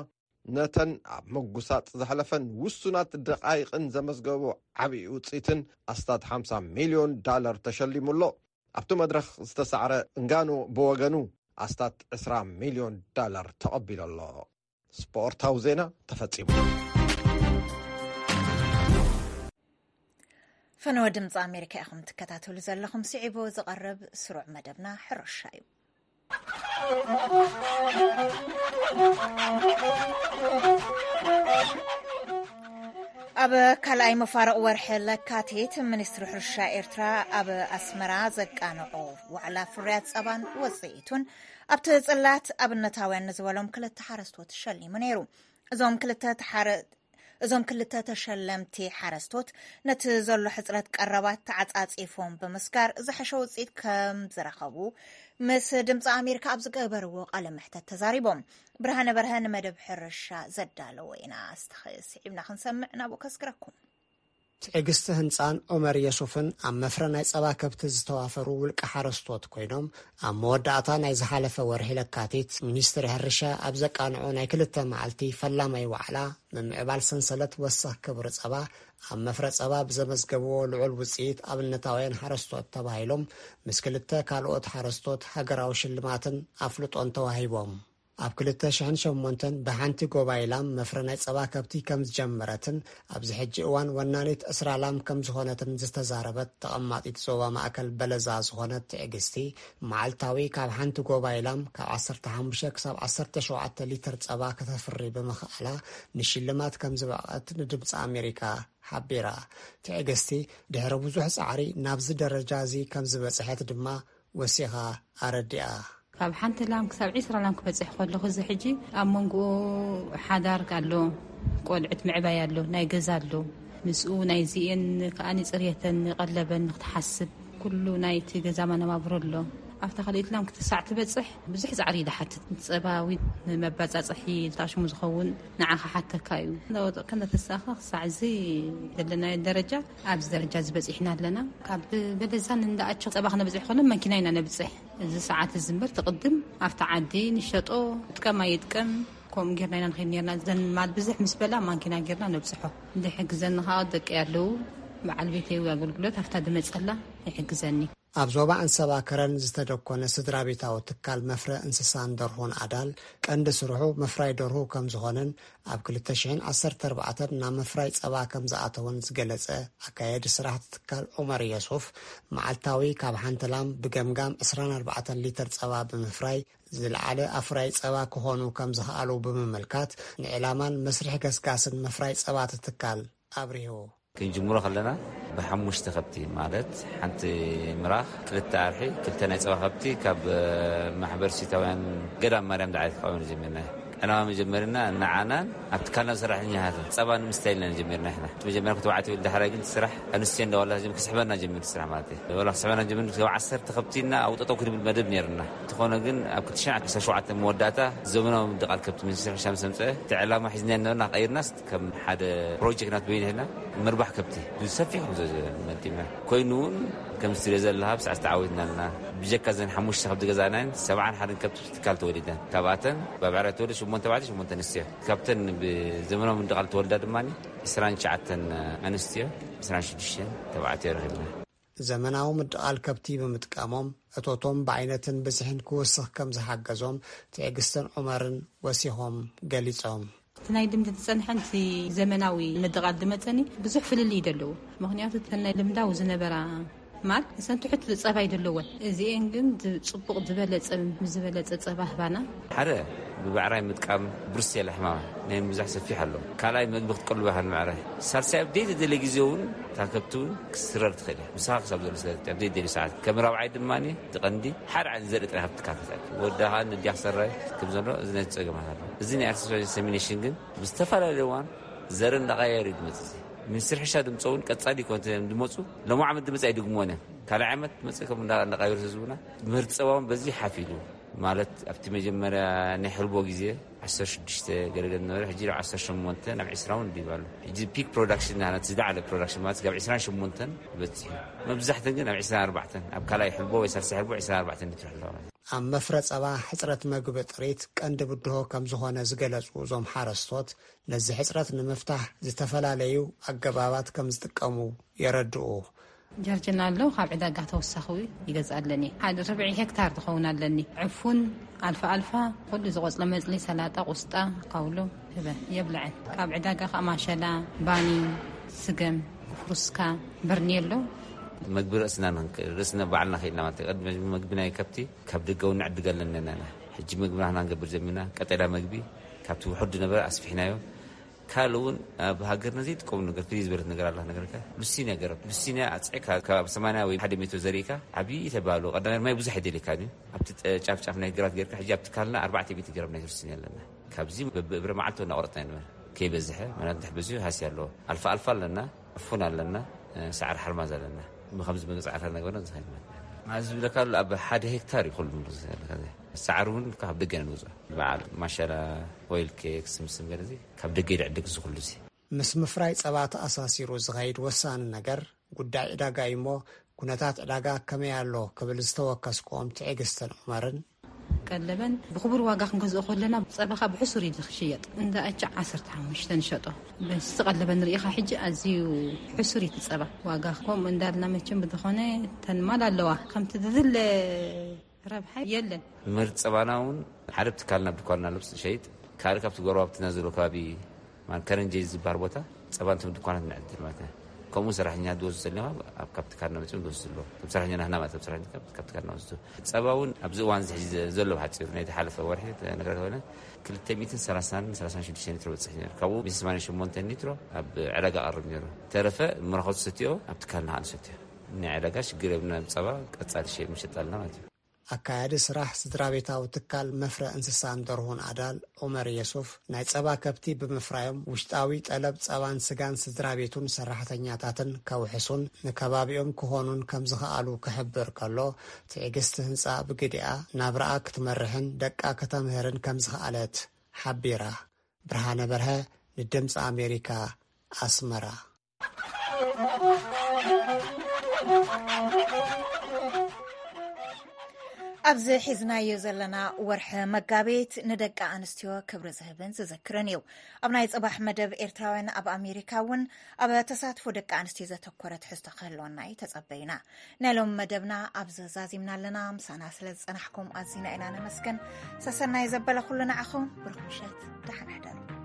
ነተን ኣብ ምጉሳጥ ዘሕለፈን ውሱናት ደቓይቕን ዘመዝገቦ ዓብዪ ውጽኢትን ኣስታት ሓምሳ ሚልዮን ዳለር ተሸሊሙ ኣሎ። ኣብቲ መድረኽ ዝተሳዕረ እንጋኖ ብወገኑ ኣስታት ዕስራ ሚልዮን ዳለር ተቐቢሉ ኣሎ። ስፖርታዊ ዜና ተፈጺሙ። ፈነወ ድምፂ ኣሜሪካ ኢኹም ትከታተሉ ዘለኹም። ስዒቡ ዝቐርብ ስሩዕ መደብና ሕርሻ እዩ። ኣብ ካልኣይ መፋርቕ ወርሒ ለካቲት፣ ሚኒስትሪ ሕርሻ ኤርትራ ኣብ ኣስመራ ዘቃንዖ ዋዕላ ፍርያት ጸባን ወጽኢቱን፣ ኣብቲ ጽላት ኣብነታውያን ንዝበሎም ክልተ ሓረስቶት ሸሊሙ ነይሩ። እዞም ክልተ ተሓረ-፣ እዞም ክልተ ተሸለምቲ ሓረስቶት፣ ነቲ ዘሎ ሕጽረት ቀረባት ተዓጻጺፎም ብምስጋር፣ ዝሐሸ ውጽኢት ከም ዝረኸቡ ምስ ድምፂ ኣሜሪካ ኣብ ዝገበርዎ ቃለ መሕተት ተዛሪቦም። ብርሃነ በርሀ ንመደብ ሕርሻ ዘዳለዎ ኢና። ኣስተኸ ስዒብና ክንሰምዕ ናብኡ ከስግረኩም። ትዕግስቲ ህንፃን ዑመር የሱፍን ኣብ መፍረ ናይ ፀባ ከብቲ ዝተዋፈሩ ውልቀ ሓረስቶት ኮይኖም፣ ኣብ መወዳእታ ናይ ዝሓለፈ ወርሒ ለካቲት፣ ሚኒስትሪ ሕርሻ ኣብ ዘቃንዖ ናይ ክልተ መዓልቲ ፈላማይ ዋዕላ፣ ምምዕባል ሰንሰለት ወሰኽ ክብሪ ጸባ፣ ኣብ መፍረ ጸባ ብዘመዝገብዎ ልዑል ውጽኢት ኣብነታውያን ሓረስቶት ተባሂሎም፣ ምስ ክልተ ካልኦት ሓረስቶት ሃገራዊ ሽልማትን ኣፍልጦን ተዋሂቦም። ኣብ ክልተ ሽሕን ሸሞንተን ብሓንቲ ጎባይ ላም መፍረ ናይ ጸባ ከብቲ ከም ዝጀመረትን፣ ኣብዚ ሕጂ እዋን ወናኒት ዕስራ ላም ከም ዝኾነትን ዝተዛረበት ተቐማጢት ዞባ ማእከል በለዛ ዝኾነት ትዕግስቲ፣ መዓልታዊ ካብ ሓንቲ ጎባይ ላም ካብ ዓሰርተ ሓሙሽተ ክሳብ ዓሰርተ ሸውዓተ ሊትር ጸባ ከተፍሪ ብምኽኣላ፣ ንሽልማት ከም ዝበቕዐት ንድምፂ ኣሜሪካ ሓቢራ። ትዕግስቲ፣ ድሕሪ ብዙሕ ጻዕሪ ናብዚ ደረጃ እዚ ከም ዝበጽሐት ድማ ወሲኻ ኣረዲኣ። ካብ ሓንቲ ላም ክሳብ ዒስራ ላም ክበጽሕ ከለኹ፣ እዚ ሕጂ ኣብ መንጎኡ ሓዳር ኣሎ፣ ቆልዑት ምዕባይ ኣሎ፣ ናይ ገዛ ኣሎ። ምስኡ ናይዚኤን ከኣ ንጽርየተን ንቐለበን ንክትሓስብ፣ ኩሉ ናይቲ ገዛ መነባብሮ ኣሎ። ኣብታ ካልኣይቲ ላም ክሳዕ ትበጽሕ ብዙሕ ጻዕሪ እዩ ዝሓትት። ጸባዊ ንመባጻጽሒ ዝታሽሙ ዝኸውን ንዓኻ ሓተካ እዩ። እናወደቕካ እናተሳእኻ ክሳዕ እዚ ዘለናዮ ደረጃ፣ ኣብዚ ደረጃ እዚ በጺሕና ኣለና። ካብ በለዛን እንዳኣቸው ጸባ ክነብጽሕ ከሎ መኪና ኢና ነብጽሕ። እዚ ሰዓት እዚ እምበር ትቕድም ኣብቲ ዓዲ ንሸጦ ጥቀም ኣይጥቀም፣ ከምኡ ጌርና ኢና ንኸይድ ኔርና። ዘን ማል ብዝሕ ምስ በላ ማኪና ጌርና ነብጽሖ። ዝሕግዘኒ ኸኣ ደቂ ኣለዉ። በዓል ቤተይ እዩ ኣገልግሎት ኣብታ ድመጸላ ይሕግዘኒ። ኣብ ዞባ ኣንሰባ ከረን ዝተደኮነ ስድራ ቤታዊ ትካል መፍረ እንስሳን ደርሆን ኣዳል ቀንዲ ስርሑ ምፍራይ ደርሁ ከም ዝኾነን ኣብ ክልተ ሽሕን ዓሰርተ ኣርባዕተን ናብ ምፍራይ ጸባ ከም ዝኣተወን ዝገለጸ ኣካየዲ ስራሕቲ ትካል ዑመር የሱፍ፣ መዓልታዊ ካብ ሓንቲ ላም ብገምጋም ዕስራን ኣርባዕተን ሊትር ጸባ ብምፍራይ ዝለዓለ ኣፍራይ ጸባ ክኾኑ ከም ዝኸኣሉ ብምምልካት፣ ንዕላማን መስርሕ ገስጋስን ምፍራይ ጸባ እቲ ትካል ኣብሪሁ። ክንጅምሮ ከለና ብሓሙሽተ ከብቲ፣ ማለት ሓንቲ ምራኽ፣ ክልተ ኣርሒ፣ ክልተ ናይ ጸባ ከብቲ ካብ ማሕበር ሲታውያን ገዳም ማርያም ዳዕት ከባቢ ጀሚርና። ዕላማ መጀመርና ንዓናን ኣብ ትካልና ሰራሕተኛታትን ጸባ ንምስታይ ኢልና ጀሚርና። ኢሕና መጀመርያ ክተባዕት ይብል፣ ዳሕራይ ግን ስራሕ ኣንስትዮ እንዳዋላ ጀም ክስሕበና ጀሚሩ ስራሕ ማለት እዩ። ወላ ክስሕበና ጀሚሩ፣ ካብ ዓሰርተ ከብቲና ኣውጠጠው ክንብል መደብ ነርና። እንተኾነ ግን ኣብ ክልተ ሽሕን ዓሰርተ ሸውዓተን መወዳእታ ዘመናዊ ምድቓል ከብቲ ሚኒስትሪ ሕርሻ ምስ ኣምፀአ፣ እቲ ዕላማ ሒዝና ነበርና ቀይርናስ ከም ሓደ ፕሮጀክት ናት በይን ሒዝና ምርባሕ ከብቲ ብሰፊሑ ዘ-፣ መዲብና። ኮይኑ እውን ከም ትሪኦ ዘለኻ ብሳዕ ዝተዓወትና ኣለና። ብጀካ ዘን ሓሙሽተ ከብቲ ገዛእናን ሰብዓን ሓደን ከብቲ ትካል ተወሊደን። ካብኣተን ብዕራይ ተወልደ ሽሞንተ ተባዕትዮ ሽሞንተ ኣንስትዮ። ካብተን ብዘመናዊ ምድቓል ተወልዳ ድማ ዕስራን ትሽዓተን ኣንስትዮ፣ ዕስራን ሽዱሽተን ተባዕትዮ ረኺብና። ዘመናዊ ምድቓል ከብቲ ብምጥቃሞም እቶቶም ብዓይነትን ብዝሕን ክውስኽ ከም ዝሓገዞም ትዕግስትን ዑመርን ወሲኾም ገሊጾም። እቲ ናይ ልምዲ ዝጸንሐን እቲ ዘመናዊ ምድቓል ዝመጸኒ ብዙሕ ፍልልይ እዩ ዘለዎ። ምኽንያቱ እተን ናይ ልምዳዊ ዝነበራ ማል ንሰን ትሑት ጸባይ ዘለወን፣ እዚኤን ግን ዝ-፣ ጽቡቕ ዝበለጸ፣ ምስ ዝበለጸ ጸባ ህባና። ሓደ ብብዕራይ ምጥቃም ብሩሴላ ሕማማ ናይ ምብዛሕ ሰፊሕ ኣሎ። ካልኣይ መግቢ ክትቀልቦ ኢኻ ንምዕራይ። ሳልሳይ ኣብ ደይ ደለ ግዜ እውን እታ ከብቲ እውን ክትስረር ትኽእል እያ። ምሳኻ ክሳብ ዘሎ ስለ ኣብ ደይ ደለ ሰዓት። ከም ራብዓይ ድማ እቲ ቀንዲ ሓደ ዓይነት ዘርኢ ጥራይ ካብ ትካል ክትኣክል። ወዳኻ ንዲያ ክሰራይ ከም ዘሎ እዚ ናይ ጸገማት ኣሎ። እዚ ናይ ኣርቲፊሻል ኢንሰሚኔሽን ግን ብዝተፈላለየ እዋን ዘርኢ እንዳቐያየሩ እዩ ዝመጽእ። እዚ ሚኒስትሪ ሕርሻ ድምፆ እውን ቀጻሊ ይኮን ድመፁ። ሎም ዓመት ድመፅ ኣይድግምዎን እዮም። ካልኣይ ዓመት መፅእ ከም እንዳ-፣ እንዳቃየሩ ህዝቡና ምህርቲ ፀባውን በዚ ሓፍ ኢሉ ማለት ኣብቲ መጀመርያ ናይ ሕልቦ ግዜ ዓሰርተ ሽዱሽተ ገለገለ ነበረ። ሕጂ ናብ ዓሰርተ ሸሞንተ ናብ ዕስራ እውን ድይብ ኣሎ። ሕጂ ፒክ ፕሮዳክሽን ናት ዝለዓለ ፕሮዳክሽን ማለት ካብ ዕስራን ሸሞንተን በፂሑ። መብዛሕተን ግን ኣብ ዕስራን ኣርባዕተን ኣብ ካልኣይ ሕልቦ ወይ ሳልሳይ ሕልቦ ዕስራን ኣርባዕተን ሊትሮ ኣለዋ ማለት እዩ። ኣብ መፍረ ጸባ ሕጽረት መግቢ ጥሪት ቀንዲ ብድሆ ከም ዝኾነ ዝገለጹ እዞም ሓረስቶት፣ ነዚ ሕጽረት ንምፍታሕ ዝተፈላለዩ ኣገባባት ከም ዝጥቀሙ የረድኡ። ጀርጅና ኣሎ፣ ካብ ዕዳጋ ተወሳኺ ይገዝእ ኣለኒ። ሓደ ርብዒ ሄክታር ትኸውን ኣለኒ። ዕፉን ኣልፋ ኣልፋ፣ ኩሉ ዝቆጽለ መጽሊ፣ ሰላጣ፣ ቁስጣ፣ ካውሎ ህበ የብልዐን። ካብ ዕዳጋ ከኣ ማሸላ፣ ባኒ፣ ስገም፣ ፍሩስካ፣ በርኔሎ። መግቢ ርእስና ንኽንክእል፣ ርእስና ባዕልና ኽኢልና ማለት እዩ። ቅድሚ መግቢ ናይ ከብቲ ካብ ደገ እውን ንዕድግ ኣለና ኢና። ሕጂ መግብና ንሕና ንገብር ጀሚርና። ቀጠልያ መግቢ ካብቲ ውሑድ ዝነበረ ኣስፊሕናዮ። ካልእ እውን ኣብ ሃገርና ዘይጥቀሙ ነገር፣ ፍልይ ዝበለት ነገር ኣላ። ነገርካ ሉሲንያ ገረብ፣ ሉሲንያ ኣጽዕካ ካብ ሰማንያ ወይ ሓደ ሜትሮ ዘሪእካ ዓብዪ ተባህሉ። ቀዳማይ ማይ ብዙሕ ኣይደልየካን እዩ። ኣብቲ ጠ-፣ ጫፍ ጫፍ ናይ ግራት ጌርካ፣ ሕጂ ኣብ ትካልና ኣርባዕተ ሚእቲ ገረብ ናይ ሉሲንያ ኣለና። ካብዚ በብእብረ መዓልቲ እናቆረጥና ኢና ንበል። ከይበዝሐ፣ ምክንያቱ እንድሕር በዝሑ ሃስያ ኣለዎ። ኣልፋ ኣልፋ ኣለና፣ ዕፉን ኣለና፣ ሳዕሪ ሓርማዝ ኣለና። ብኸምዚ መግቢ ጻዕርታት ነገርና ዝኸይድ ማለት እዩ። እዚ ዝብለካ ኣሎ፣ ኣብ ሓደ ሄክታር እዩ ኩሉ ንብረት ዘለካ። ሳዕሪ እውን ካብ ደገ ኢና ንገዝኦ። በዓል ማሸላ፣ ኦይል ኬክ፣ ስምስም ገለ እዚ ካብ ደገ ይድዕድግ እዚ ኩሉ እዚ። ምስ ምፍራይ ጸባ ተኣሳሲሩ ዝኸይድ ወሳኒ ነገር ጉዳይ ዕዳጋ እዩ እሞ፣ ኩነታት ዕዳጋ ከመይ ኣሎ ክብል ዝተወከስክዎም ትዕግስትን ዑመርን፣ ቀለበን ብኽቡር ዋጋ ክንገዝኦ ከለና ጸባኻ ብሕሱር እዩ ዝሽየጥ። እንዳ ኣቻ ዓሰርተ ሓሙሽተ ንሸጦ። በዚ ቀለበን ርኢኻ ሕጂ ኣዝዩ ሕሱር እዩ እቲ ጸባ። ዋጋ ከምኡ እንዳልና መቸም ብዝኾነ ተንማል ኣለዋ። ከምቲ ዝድለ ረብሓ የለን። ምህርቲ ጸባና እውን ሓደ ትካል ናብ ድኳንና ልብስ ዝሸይጥ፣ ካልእ ካብቲ ጎረባብትና ዘሎ ከባቢ ማለት ከረንጀይ ዝበሃል ቦታ ጸባ እንቶም ድኳናት ንዕድል ማለት እዩ። ከምኡ ሰራሕኛ ዝወስዱ ዘለና ኣብ ካብ ትካልና መጺኦም ዝወስዱ ኣለዉ። እቶም ሰራሕኛ ናህና ማለት እቶም ሰራሕኛ ካብ፣ ካብ ትካልና ወስዱ። ጸባ እውን ኣብዚ እዋን እዚ ሕጂ ዘ-፣ ዘሎ ብሓጺሩ ናይ ዝሓለፈ ወርሒ ተነግረ ከሆነ ክልተ ሚእትን ሰላሳን ሰላሳን ሽዱሽተ ሊትሮ በጽሕ ነይሩ። ካብኡ ሚእትን ሰማንያን ሸሞንተን ሊትሮ ኣብ ዕዳጋ ቀርብ ነይሩ። ተረፈ መረኸቱ ሰትዮ ኣብ ትካልና ንሰትዮ። ናይ ዕዳጋ ሽግር የብልና። ጸባ ቀጻሊ ሸ-፣ ምሸጥ ኣለና ማለት እዩ። ኣካያዲ ስራሕ ስድራ ቤታዊ ትካል መፍረ እንስሳን ደርሁን ኣዳል ዑመር የሱፍ፣ ናይ ጸባ ከብቲ ብምፍራዮም ውሽጣዊ ጠለብ ጸባን ስጋን ስድራ ቤቱን ሰራሕተኛታትን ከውሕሱን ንከባቢኦም ክኾኑን ከም ዝኸኣሉ ክሕብር ከሎ፣ ትዕግስቲ ህንጻ ብግዲኣ ናብራኣ ክትመርሕን ደቃ ከተምህርን ከም ዝኸኣለት ሓቢራ። ብርሃነ በርሀ፣ ንድምፂ ኣሜሪካ፣ ኣስመራ። ኣብዚ ሒዝናዮ ዘለና ወርሒ መጋቢት ንደቂ ኣንስትዮ ክብሪ ዝህብን ዝዝክርን እዩ። ኣብ ናይ ጽባሕ መደብ ኤርትራውያን ኣብ ኣሜሪካ እውን ኣብ ተሳትፎ ደቂ ኣንስትዮ ዘተኮረ ትሕዝቶ ክህልወና እዩ ተጸበይና። ናይ ሎም መደብና ኣብዚ ዛዚምና ኣለና። ምሳና ስለ ዝጸናሕኩም ኣዚና ኢና ነመስግን። ሰሰናይ ዘበለ ኩሉ ንዓኹም። ብሩኽ ምሸት፣ ደሓን ሕደሩ።